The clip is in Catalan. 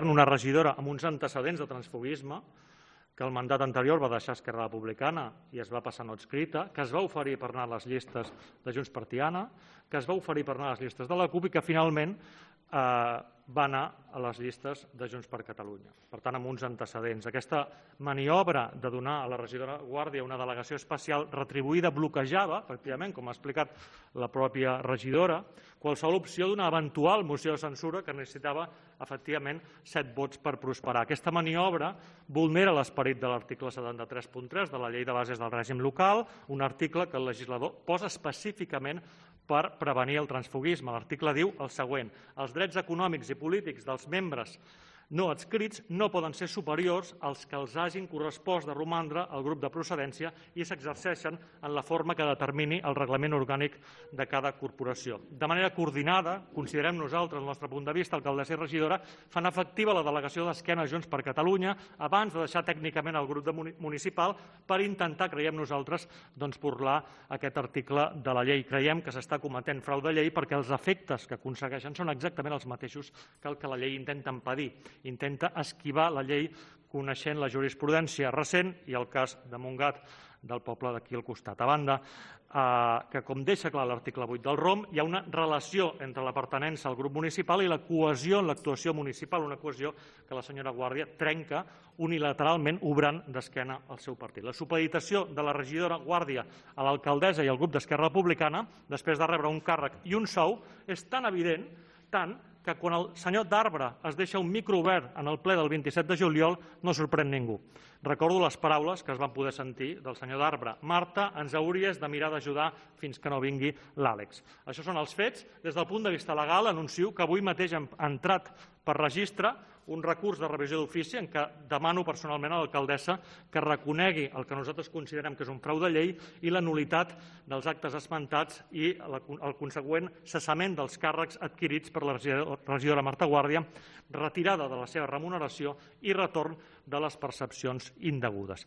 una regidora amb uns antecedents de transfuguisme, que el mandat anterior va deixar Esquerra Republicana i es va passar no adscrita, que es va oferir per anar a les llistes de Junts per Tiana, que es va oferir per anar a les llistes de la CUP i que finalment va anar a les llistes de Junts per Catalunya. Per tant, amb uns antecedents. Aquesta maniobra de donar a la regidora Guàrdia una delegació especial retribuïda bloquejava, efectivament, com ha explicat la pròpia regidora, qualsevol opció d'una eventual moció de censura que necessitava, efectivament, 7 vots per prosperar. Aquesta maniobra vulnera l'esperit de l'article 73.3 de la Llei de Bases del Règim Local, un article que el legislador posa específicament per prevenir el transfuguisme. L'article diu el següent: els drets econòmics i polítics dels membres no adscrits no poden ser superiors als que els hagin correspost de romandre al grup de procedència i s'exerceixen en la forma que determini el reglament orgànic de cada corporació. De manera coordinada, considerem nosaltres, el nostre punt de vista, alcaldessa i regidora, fan efectiva la delegació d'Esquena a Junts per Catalunya abans de deixar tècnicament el grup municipal per intentar, creiem nosaltres, burlar aquest article de la llei. Creiem que s'està cometent frau de llei perquè els efectes que aconsegueixen són exactament els mateixos que el que la llei intenta impedir. Intenta esquivar la llei coneixent la jurisprudència recent i el cas de Montgat, del poble d'aquí al costat. A banda, que com deixa clar l'article 8 del ROM, hi ha una relació entre la pertinença al grup municipal i la cohesió en l'actuació municipal, una cohesió que la senyora Guàrdia trenca unilateralment obrant d'esquena al seu partit. La supeditació de la regidora Guàrdia a l'alcaldessa i al grup d'Esquerra Republicana, després de rebre un càrrec i un sou, és tan evident, tant que quan el senyor Darbre es deixa un micro obert en el ple del 27 de juliol no sorprèn ningú. Recordo les paraules que es van poder sentir del senyor Darbre: Marta, ens hauries de mirar d'ajudar fins que no vingui l'Àlex. Això són els fets. Des del punt de vista legal, anuncio que avui mateix hem entrat per registre un recurs de revisió d'ofici en què demano personalment a l'alcaldessa que reconegui el que nosaltres considerem que és un frau de llei i la nul·litat dels actes esmentats i el consegüent cessament dels càrrecs adquirits per la regidora Marta Guàrdia, retirada de la seva remuneració i retorn de les percepcions indegudes.